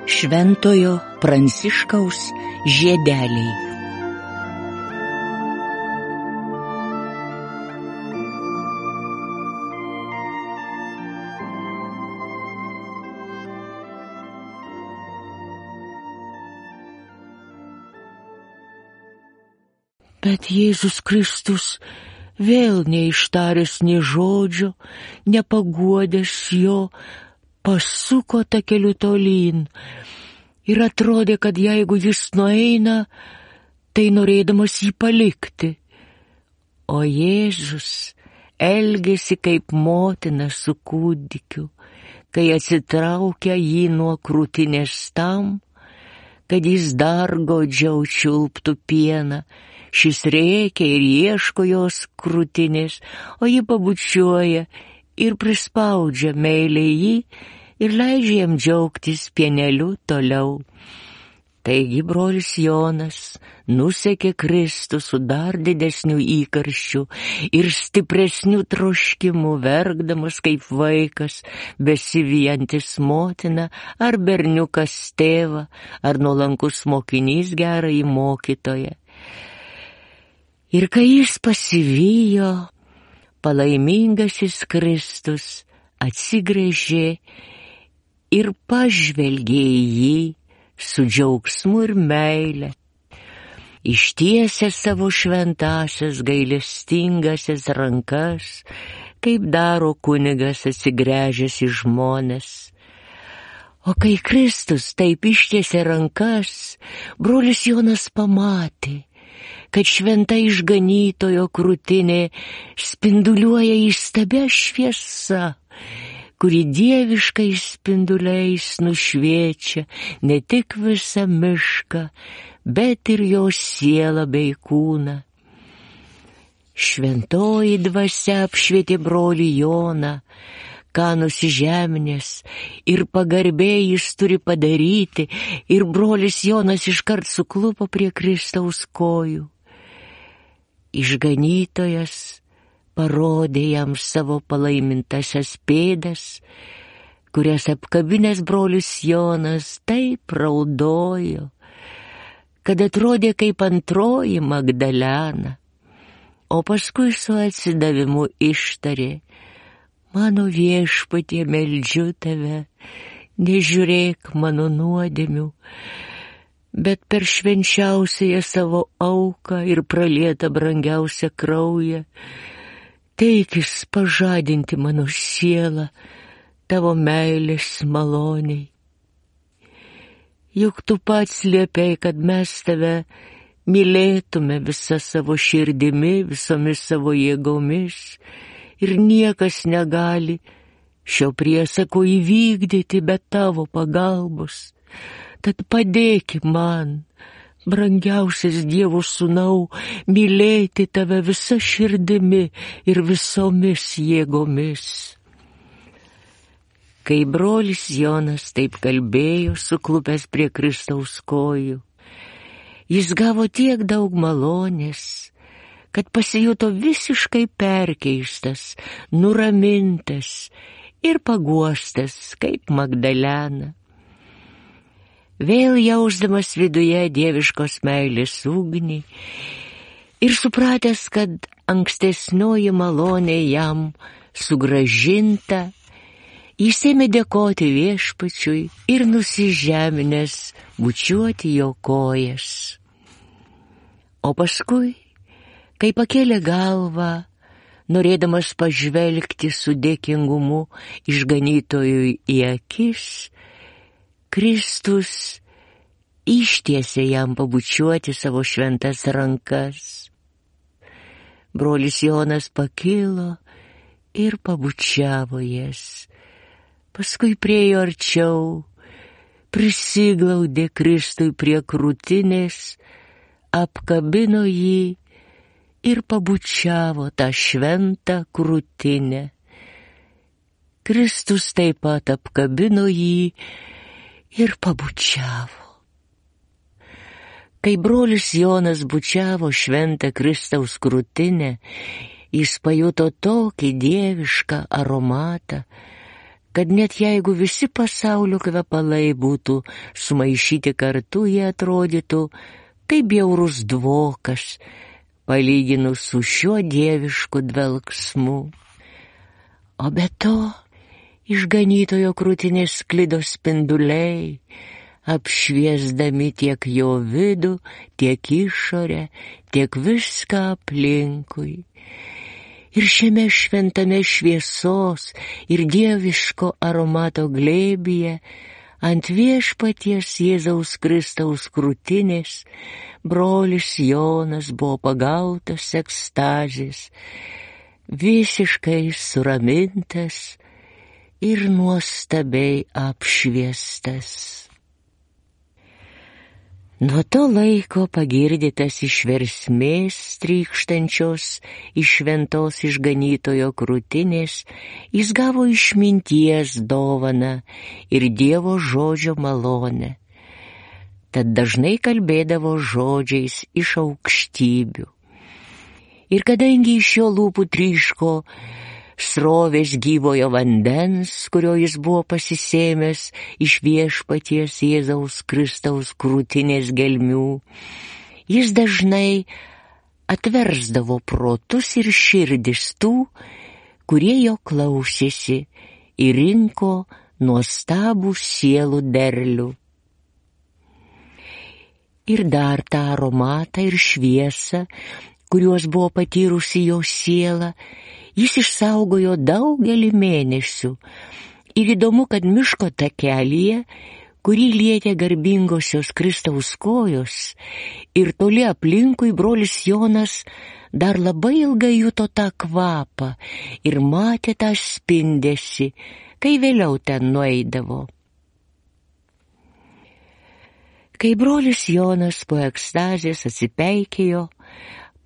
Šventojo Pranciškaus žiedeliai. Bet Jėzus Kristus vėl neištaręs nė žodžio, nepaguodęs jo, pasuko takeliu tolyn ir atrodė, kad jeigu jis nueina, tai norėdamas jį palikti. O Jėzus elgėsi kaip motina su kūdikiu, kai atsitraukia jį nuo krūtinės tam, kad jis dar godžiau čiulptų pieną. Šis rėkia ir ieško jos krūtinės, o ji pabučiuoja ir prispaudžia meiliai jį ir leidžia jam džiaugtis pieneliu toliau. Taigi brolis Jonas nusekė Kristų su dar didesniu įkarščiu ir stipresniu troškimu, verkdamas kaip vaikas, besivijantis motiną, ar berniukas tėvą, ar nuolankus mokinys gerąjį mokytoją. Ir kai jis pasivijo, palaimingasis Kristus atsigręžė ir pažvelgė į jį su džiaugsmu ir meile, ištiesė savo šventąsias gailestingasias rankas, kaip daro kunigas atsigręžęs į žmones. O kai Kristus taip ištiesė rankas, brolis Jonas pamatė, kad šventa išganytojo krūtinė spinduliuoja įstabia šviesa, kuri dieviškais spinduliais nušviečia ne tik visą mišką, bet ir jo sielą bei kūną. Šventoji dvasia apšvietė brolį Joną, ką nusižeminęs ir pagarbiai jis turi padaryti, ir brolis Jonas iškart suklupo prie Kristaus kojų. Išganytojas parodė jam savo palaimintasias pėdas, kurias apkabinęs brolis Jonas taip raudojo, kad atrodė kaip antroji Magdalena, o paskui su atsidavimu ištarė: mano viešpatie, meldžiu tave, nežiūrėk mano nuodėmių, bet per švenčiausiąją savo auką ir pralietą brangiausią kraują teikis pažadinti mano sielą tavo meilės maloniai. Juk tu pats liepei, kad mes tave mylėtume visą savo širdimi, visomis savo jėgomis, ir niekas negali šio priesako įvykdyti be tavo pagalbos. Tad padėki man, brangiausias Dievo sūnau, mylėti tave visa širdimi ir visomis jėgomis. Kai brolis Jonas taip kalbėjo, suklupęs prie Kristaus kojų, jis gavo tiek daug malonės, kad pasijuto visiškai perkeistas, nuramintas ir paguostas kaip Magdalena. Vėl jausdamas viduje dieviškos meilės ugnį ir supratęs, kad ankstesnioji malonė jam sugrąžinta, jis ėmė dėkoti viešpačiui ir nusižeminęs bučiuoti jo kojas. O paskui, kai pakėlė galvą, norėdamas pažvelgti su dėkingumu išganytojui į akis, Kristus ištiesė jam pabučiuoti savo šventas rankas. Brolis Jonas pakilo ir pabučiavo jas. Paskui priėjo arčiau, prisiglaudė Kristui prie krūtinės, apkabino jį ir pabučiavo tą šventą krūtinę. Kristus taip pat apkabino jį ir pabučiavo. Kai brolis Jonas bučiavo šventą Kristaus krūtinę Jis pajuto tokį dievišką aromatą, kad net jeigu visi pasaulio kvepalai būtų sumaišyti kartu, jie atrodytų kaip bjaurus dvokas, palyginus su šiuo dievišku dvelksmu. O be to, iš ganytojo krūtinės sklido spinduliai, apšviesdami tiek jo vidų, tiek išorę, tiek viską aplinkui. Ir šiame šventame šviesos ir dieviško aromato glėbyje ant viešpaties Jėzaus Kristaus krūtinės brolis Jonas buvo pagautas ekstazės, visiškai suramintas ir nuostabiai apšviestas. Nuo to laiko pagirdytas iš versmės trykštančios iš šventos išganytojo krūtinės, jis gavo išminties dovaną ir Dievo žodžio malonę. Tad dažnai kalbėdavo žodžiais iš aukštybių. Ir kadangi iš jo lūpų tryško srovės gyvojo vandens, kurio jis buvo pasisėmęs iš viešpaties Jėzaus Kristaus krūtinės gelmių, jis dažnai atversdavo protus ir širdis tų, kurie jo klausėsi, ir rinko nuostabų sielų derlių. Ir dar tą aromatą ir šviesą, kuriuos buvo patyrusi jo siela, jis išsaugojo daugelį mėnesių. Ir įdomu, kad miško takelyje, kurį lietė garbingosios Kristaus kojos, ir toli aplinkui brolis Jonas dar labai ilgai juto tą kvapą ir matė tą spindesį, kai vėliau ten nueidavo. Kai brolis Jonas po ekstazės atsipeikėjo,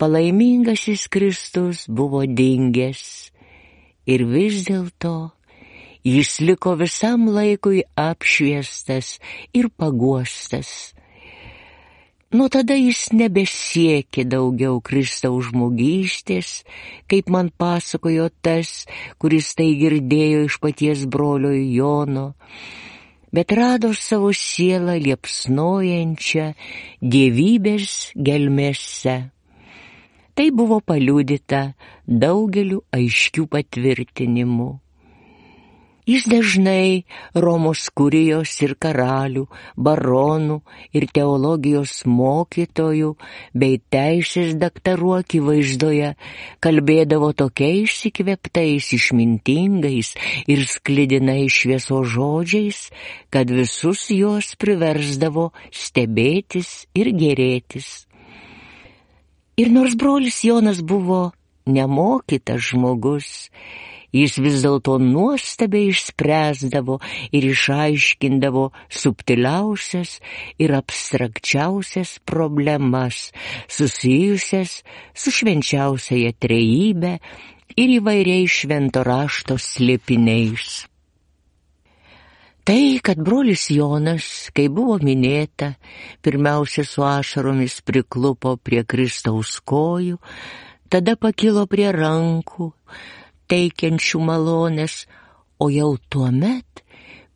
palaimingasis Kristus buvo dingęs ir vis dėlto jis liko visam laikui apšviestas ir paguostas. Nuo tada jis nebesiekė daugiau Kristaus žmogystės, kaip man pasakojo tas, kuris tai girdėjo iš paties brolio Jono, bet rado savo sielą liepsnojančią dievybės gelmėse. Tai buvo paliudyta daugeliu aiškių patvirtinimų. Jis dažnai Romos kurijos ir karalių, baronų ir teologijos mokytojų bei teisės daktarų akivaizdoje kalbėdavo tokiais įkvėptais, išmintingais ir sklidinais šviesos žodžiais, kad visus juos priversdavo stebėtis ir gėrėtis. Ir nors brolis Jonas buvo nemokytas žmogus, jis vis dėlto nuostabiai išspręsdavo ir išaiškindavo subtiliausias ir abstrakčiausias problemas, susijusias su švenčiausiaja trejybe ir įvairiais švento rašto slėpiniais. Tai, kad brolis Jonas, kai buvo minėta, pirmiausia su ašaromis priklupo prie Kristaus kojų, tada pakilo prie rankų, teikiančių malonės, o jau tuomet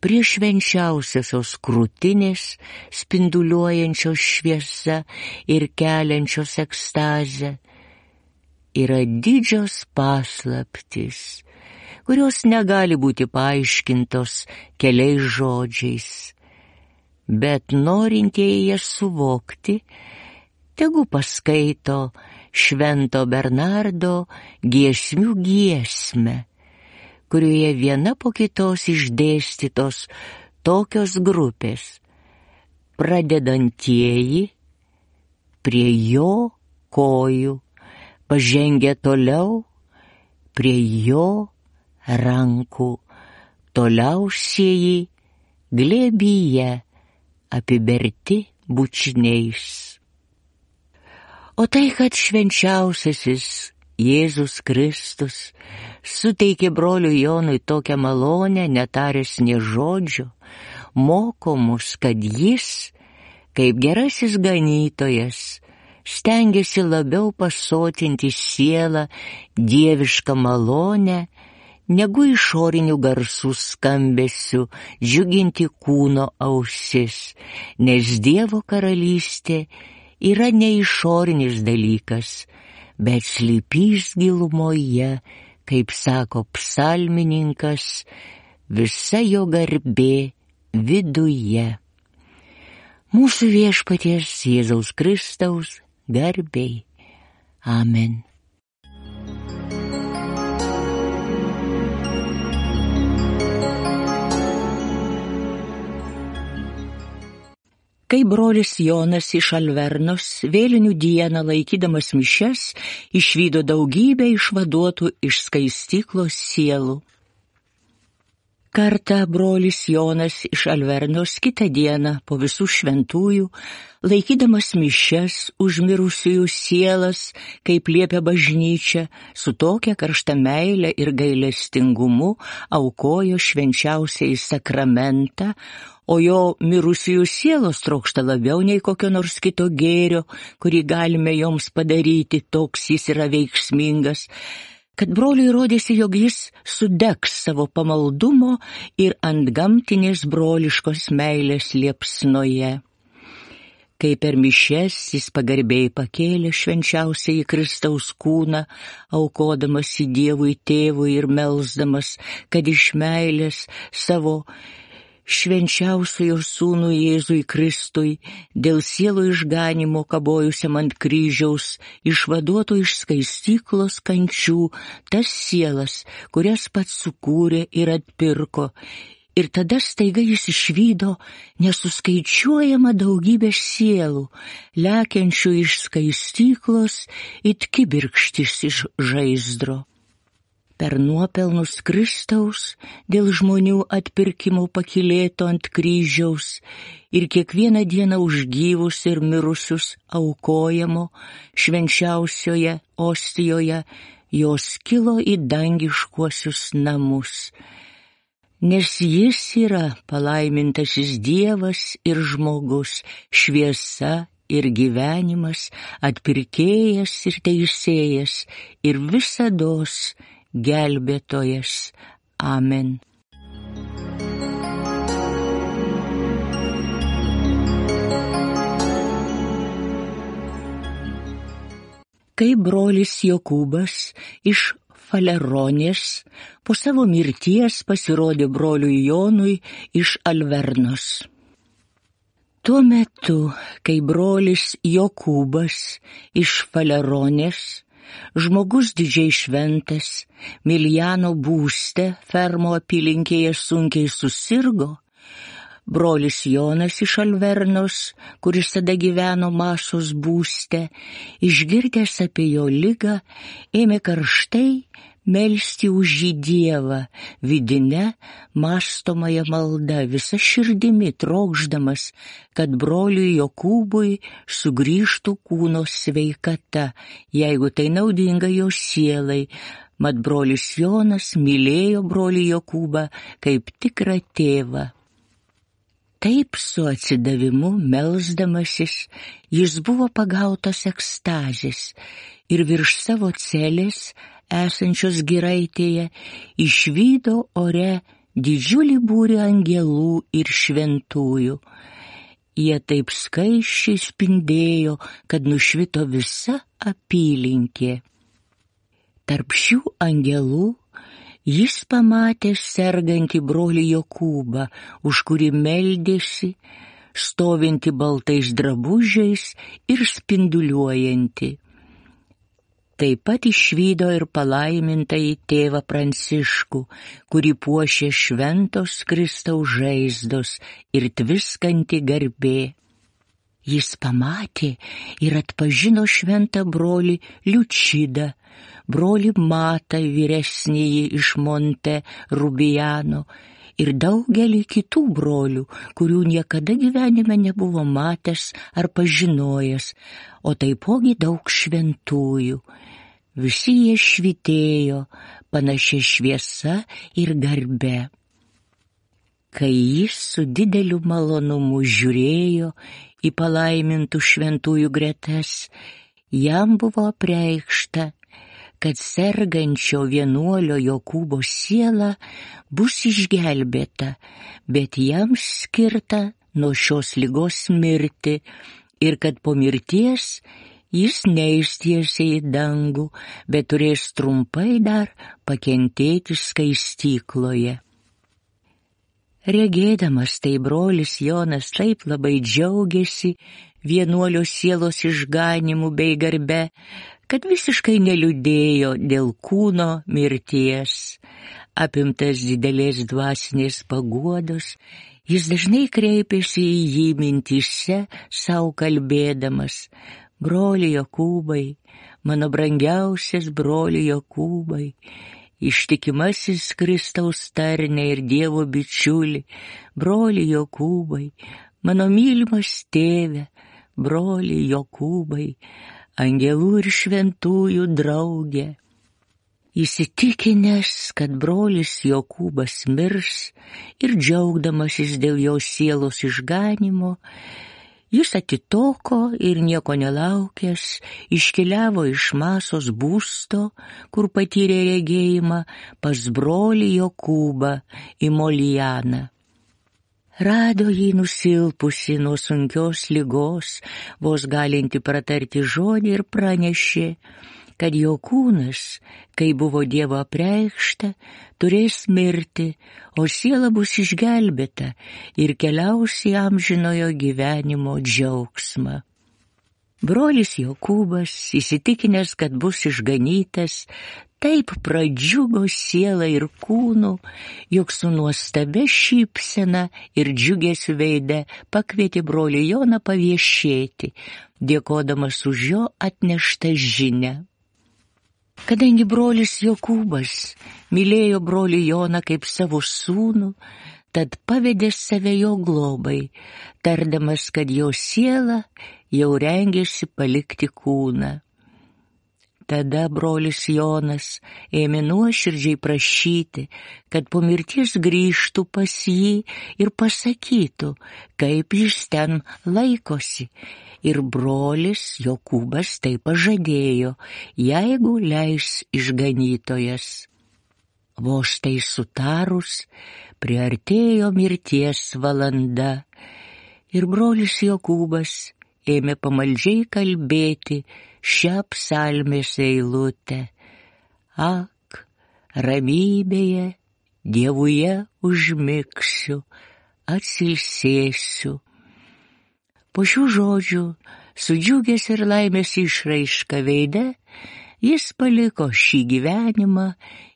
prie švenčiausiosios krūtinės, spinduliuojančios šviesa ir keliančios ekstazę, yra didžios paslaptys, kurios negali būti paaiškintos keliais žodžiais, bet norintieji jas suvokti, tegu paskaito Švento Bernardo giesmių giesmę, kurioje viena po kitos išdėstytos tokios grupės: pradedantieji prie jo kojų, pažengę toliau prie jo rankų, toliausieji glėbyje apiberti bučiniais. O tai, kad švenčiausiasis Jėzus Kristus suteikė broliui Jonui tokią malonę, netaręs nė žodžio, moko mus, kad jis, kaip gerasis ganytojas, stengėsi labiau pasotinti sielą dievišką malonę, negu išorinių garsų skambesių džiuginti kūno ausis, nes Dievo karalystė yra ne išorinis dalykas, bet slypys gilumoje, kaip sako psalmininkas, visa jo garbė viduje. Mūsų Viešpaties Jėzaus Kristaus garbei. Amen. Kai brolis Jonas iš Alvernos vėlinių dieną laikydamas mišias išvydo daugybę išvaduotų iš skaistyklos sielų. Kartą brolis Jonas iš Alvernos kitą dieną po visų šventųjų, laikydamas mišias už mirusiųjų sielas, kaip liepia bažnyčia, su tokia karšta meile ir gailestingumu aukojo švenčiausiąjį sakramentą, o jo mirusiųjų sielos trokšta labiau nei kokio nors kito gėrio, kurį galime joms padaryti, toks jis yra veiksmingas, kad broliui rodėsi, jog jis sudegs savo pamaldumo ir antgamtinės broliškos meilės liepsnoje. Kai per mišias jis pagarbiai pakėlė švenčiausiąjį Kristaus kūną, aukodamas į Dievui Tėvui ir melsdamas, kad iš meilės savo švenčiausiojo sūnų Jėzui Kristui, dėl sielų išganimo kabojusiam ant kryžiaus, išvaduotų iš skaistyklos kančių tas sielas, kurias pats sukūrė ir atpirko. Ir tada staiga jis išvydo nesuskaičiuojamą daugybę sielų, lekiančių iš skaistyklos it kibirkštis iš žaizdro. Per nuopelnus Kristaus, dėl žmonių atpirkimo pakylėto ant kryžiaus ir kiekvieną dieną už gyvus ir mirusius aukojamo švenčiausioje ostijoje, jos kilo į dangiškuosius namus. Nes jis yra palaimintasis Dievas ir žmogus, šviesa ir gyvenimas, atpirkėjas ir teisėjas ir visados gelbėtojas. Amen. Kai brolis Jokūbas iš Faleronės po savo mirties pasirodė broliui Jonui iš Alvernos. Tuo metu, kai brolis Jokūbas iš Faleronės, žmogus didžiai šventas, Miljano būste fermo apylinkėje sunkiai susirgo, brolis Jonas iš Alvernos, kuris tada gyveno Masos būste, išgirdęs apie jo ligą, ėmė karštai melsti už jį Dievą, vidine mąstomąją maldą, visa širdimi trokšdamas, kad broliui Jokūbui sugrįžtų kūno sveikata, jeigu tai naudinga jo sielai. Mat brolis Jonas mylėjo brolį Jokūbą kaip tikrą tėvą. Taip su atsidavimu melsdamasis jis buvo pagautas ekstazės ir virš savo celės esančios giraitėje išvydo ore didžiulį būrį angelų ir šventųjų. Jie taip skaisčiai spindėjo, kad nušvito visa apylinkė. Tarp šių angelų jis pamatė sergantį brolį Jokūbą, už kurį meldėsi, stovintį baltais drabužiais ir spinduliuojantį. Taip pat išvydo ir palaimintąjį tėvą Pranciškų, kurį puošė šventos Kristaus žaizdos ir tviskanti garbė. Jis pamatė ir atpažino šventą brolį Liučidą, brolį Matą vyresnįjį iš Monte Rubijano ir daugelį kitų brolių, kurių niekada gyvenime nebuvo matęs ar pažinojęs, o taipogi daug šventųjų. Visi jie švytėjo panašia šviesa ir garbe. Kai jis su dideliu malonumu žiūrėjo į palaimintų šventųjų gretas, jam buvo apreikšta, kad sergančio vienuolio Jokūbo siela bus išgelbėta, bet jam skirta nuo šios ligos mirti ir kad po mirties jis neis tiesiai į dangų, bet turės trumpai dar pakentėti skaistykloje. Regėdamas tai brolis Jonas taip labai džiaugiasi vienuolio sielos išganimu bei garbe, kad visiškai neliūdėjo dėl kūno mirties. Apimtas didelės dvasinės paguodos, jis dažnai kreipėsi į jį mintyse, sau kalbėdamas: broli Jokūbai, mano brangiausias broli Jokūbai, ištikimasis Kristaus tarne ir Dievo bičiuli, broli Jokūbai, mano mylimas tėve, broli Jokūbai, angelų ir šventųjų draugė. Įsitikinęs, kad brolis Jokūbas mirs ir džiaugdamasis dėl jo sielos išganimo, jis atitoko ir nieko nelaukęs iškeliavo iš Masos būsto, kur patyrė regėjimą, pas brolį Jokūbą į Molianą. Rado jį nusilpusi nuo sunkios ligos, vos galinti pratarti žodį, ir pranešė, kad jo kūnas, kai buvo Dievo apreikšta, turės mirti, o siela bus išgelbėta ir keliaus į amžinojo gyvenimo džiaugsmą. Brolis Jokūbas, įsitikinęs, kad bus išganytas, taip pradžiugo sielą ir kūnu, jog su nuostabia šypsena ir džiugesiu veide pakvietė brolį Joną paviešėti, dėkodamas už jo atneštą žinią. Kadangi brolis Jokūbas mylėjo brolį Joną kaip savo sūnų, tad pavedė save jo globai, tardamas, kad jo siela jau rengėsi palikti kūną. Tada brolis Jonas ėmė nuoširdžiai prašyti, kad po mirties grįžtų pas jį ir pasakytų, kaip jis ten laikosi. Ir brolis Jokūbas tai pažadėjo, jeigu leis išganytojas. Vos tai sutarus, priartėjo mirties valanda, ir brolis Jokūbas ėmė pamaldžiai kalbėti šią psalmės eilutę: ak, ramybėje Dievuje užmigsiu, atsilsėsiu. Po šių žodžių, su džiugesiu ir laimės išraiška veide, jis paliko šį gyvenimą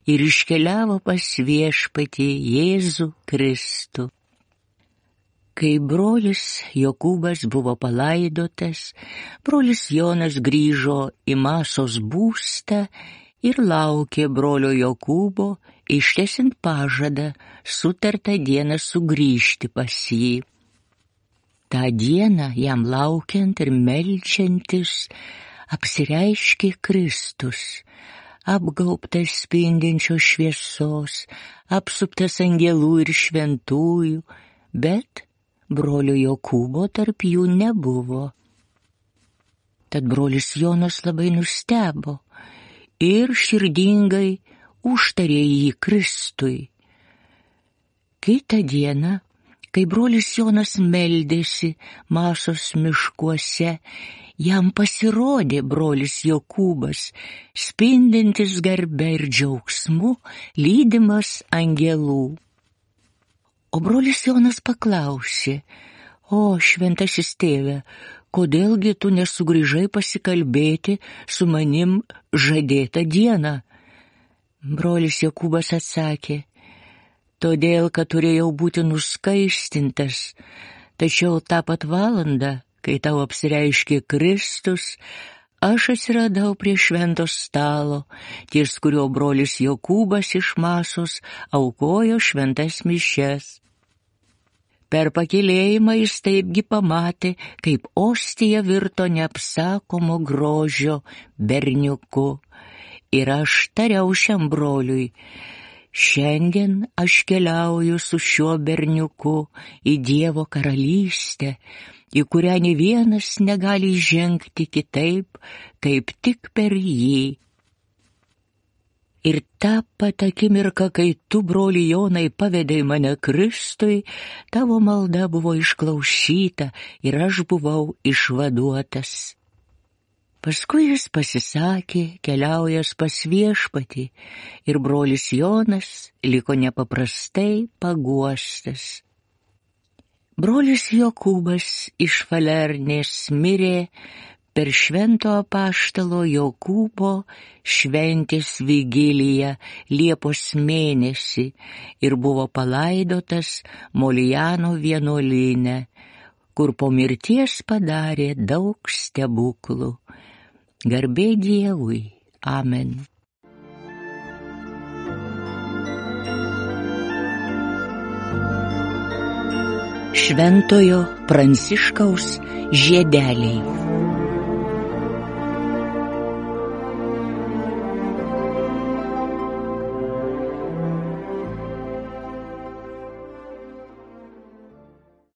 ir iškeliavo pas Viešpatį Jėzų Kristų. Kai brolis Jokūbas buvo palaidotas, brolis Jonas grįžo į Masos būstą ir laukė brolio Jokūbo, ištęsiant pažadą sutartą dieną sugrįžti pas jį. Ta dieną jam laukiant ir meldžiantis apsireiškė Kristus, apgaubtas spindinčios šviesos, apsuptas angelų ir šventųjų, bet brolio Jokūbo tarp jų nebuvo. Tad brolis Jonas labai nustebo ir širdingai užtarė jį Kristui. Kitą dieną, kai brolis Jonas meldėsi Masos miškuose, jam pasirodė brolis Jokūbas, spindintis garbe ir džiaugsmu, lydimas angelų. O brolis Jonas paklausė: o, šventasis tėve, kodėlgi tu nesugrįžai pasikalbėti su manim žadėtą dieną? Brolis Jokūbas atsakė: todėl, kad turėjau būti nuskaistintas, tačiau tą pat valandą, kai tau apsireiškė Kristus, aš atsiradau prie švento stalo, ties kurio brolis Jokūbas iš Masos aukojo šventas mišias. Per pakylėjimą jis taipgi pamatė, kaip ostija virto neapsakomo grožio berniuku. Ir aš tariau šiam broliui: Šiandien aš keliauju su šiuo berniuku į Dievo karalystę, į kurią nė vienas negali žengti kitaip, kaip tik per jį. Ir tą pat akimirką, kai tu, broli Jonai, pavedei mane Kristui, tavo malda buvo išklausyta ir aš buvau išvaduotas. Paskui jis pasisakė, keliaujas pas Viešpatį, ir brolis Jonas liko nepaprastai paguostas. Brolis Jokūbas iš Falernės mirė per švento apaštalo Jokūbo šventės vigiliją Liepos mėnesį ir buvo palaidotas Molijano vienuolyne, kur po mirties padarė daug stebuklų. Garbė Dievui. Amen. Šventojo Pranciškaus žiedeliai.